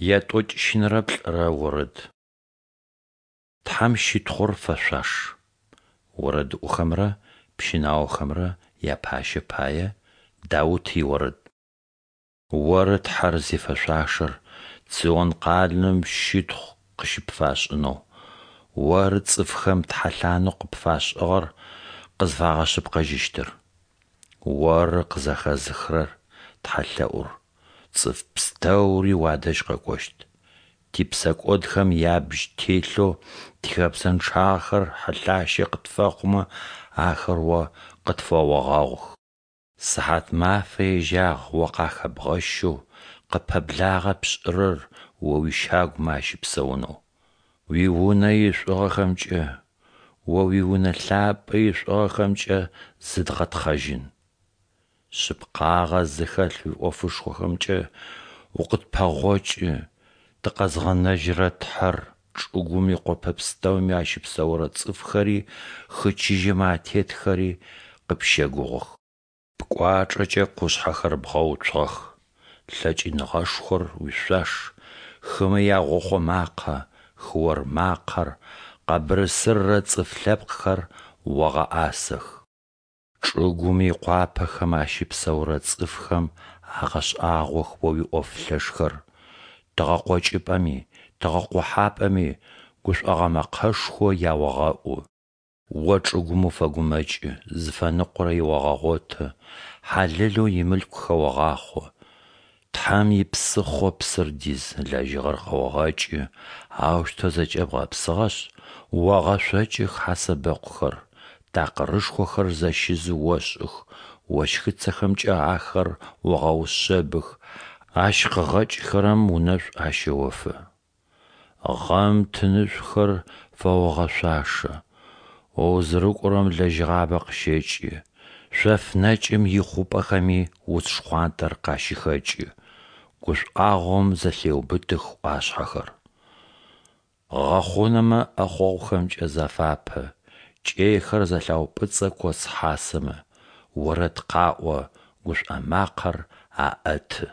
Ятӏокӏищынэрэ плӏырэ орэд. Тхьэм щытхъур фэшъуаш. Орэдыӏохэмрэ пщынаохэмрэ япащэ пае Даут иорэд. Оры Тхьэр зифэшъуашэр Цион къалэм щытхъу къыщыпфашӏынэу, Оры цӏыфхэм тхьэлъанэу къыпфашӏыгъэр къызфагъэшъыпкъэжьыщтыр. Оры къызэхэзыхырэр тхьэлъэӏур, цӏыф пстэури уадэжь къэкӏощт. Типсэкӏодхэм ябжь телъэу тихэбзэнчъагъэхэр хьылъащэ къытфэхъумэ, ахэр О къытфэогъэгъух. Сыхьатмафэ ежьагъ О къахэбгъэщэу, къыппэблагъэ пшӏырэр О уищагумэ ащыпсэунэу. Уи Унэ ишӏугъэхэмкӏэ, О уи Унэ лъапӏэ ишӏугъэхэмкӏэ зыдгъэтхъэжьын. Шъыпкъагъэ зыхэлъ уиӏофышхохэмкӏэ укъытпэгъокӏы, тыкъэзгъэнэжьырэ Тхьэр, чӏыгум икъопэ пстэуми ащыпсэурэ цӏыфхэри хы чыжьэмэ атетхэри къыпщэгугъых. Пкӏуачӏэкӏэ къушъхьэхэр бгъэуцугъэх, лъэкӏыныгъэшхор уишъуаш, хымэ ягъохъо макъэ, хыор макъэр, къэбырысырырэ цӏыф лъэпкъхэр огъэӏасэх. Чӏыгум икъуапэхэм ащыпсэурэ цӏыфхэм агъэшӏагъох О уиӏоф лъэшхэр, тыгъэкъокӏыпӏэми, тыгъэкъохьапӏэми гушӏогъо мэкъэшхо яогъэӏу. О чӏыгум уфэгумэкӏы, зыфэныкъорэ еогъэгъоты, хьалэлэу имылъку хэогъахъо. Тхьэм ипсыхъо псыр диз, лэжьыгъэр къэогъэкӏы, аущтэу зэкӏэ бгъэпсыгъэшъ, огъэшъокӏых хьасэбэкъухэр, такъырышхохэр зэщизы ошӏых, ощхыцэхэмкӏэ ахэр огъэушъэбых, ащ къыгъэкӏыхэрэм унэшӏу ащэофэ. Гъэм тынышӏухэр фэогъэшъуашэ, о узырыкӏорэм лэжьыгъабэ къыщэкӏы, шъоф нэкӏым ихъупӏэхэми уц шхъуантӏэр къащыхэкӏы, гушӏуагъом зэлъеубытых ӏуашъхьэхэр. Гъэхъунэмэ ӏэхъогъухэмкӏэ зафапэ, кӏэйхэр зэлъаупӏыцӏэ коц хьасэмэ, орэд къаӏо, гушӏо макъэр аӏэты.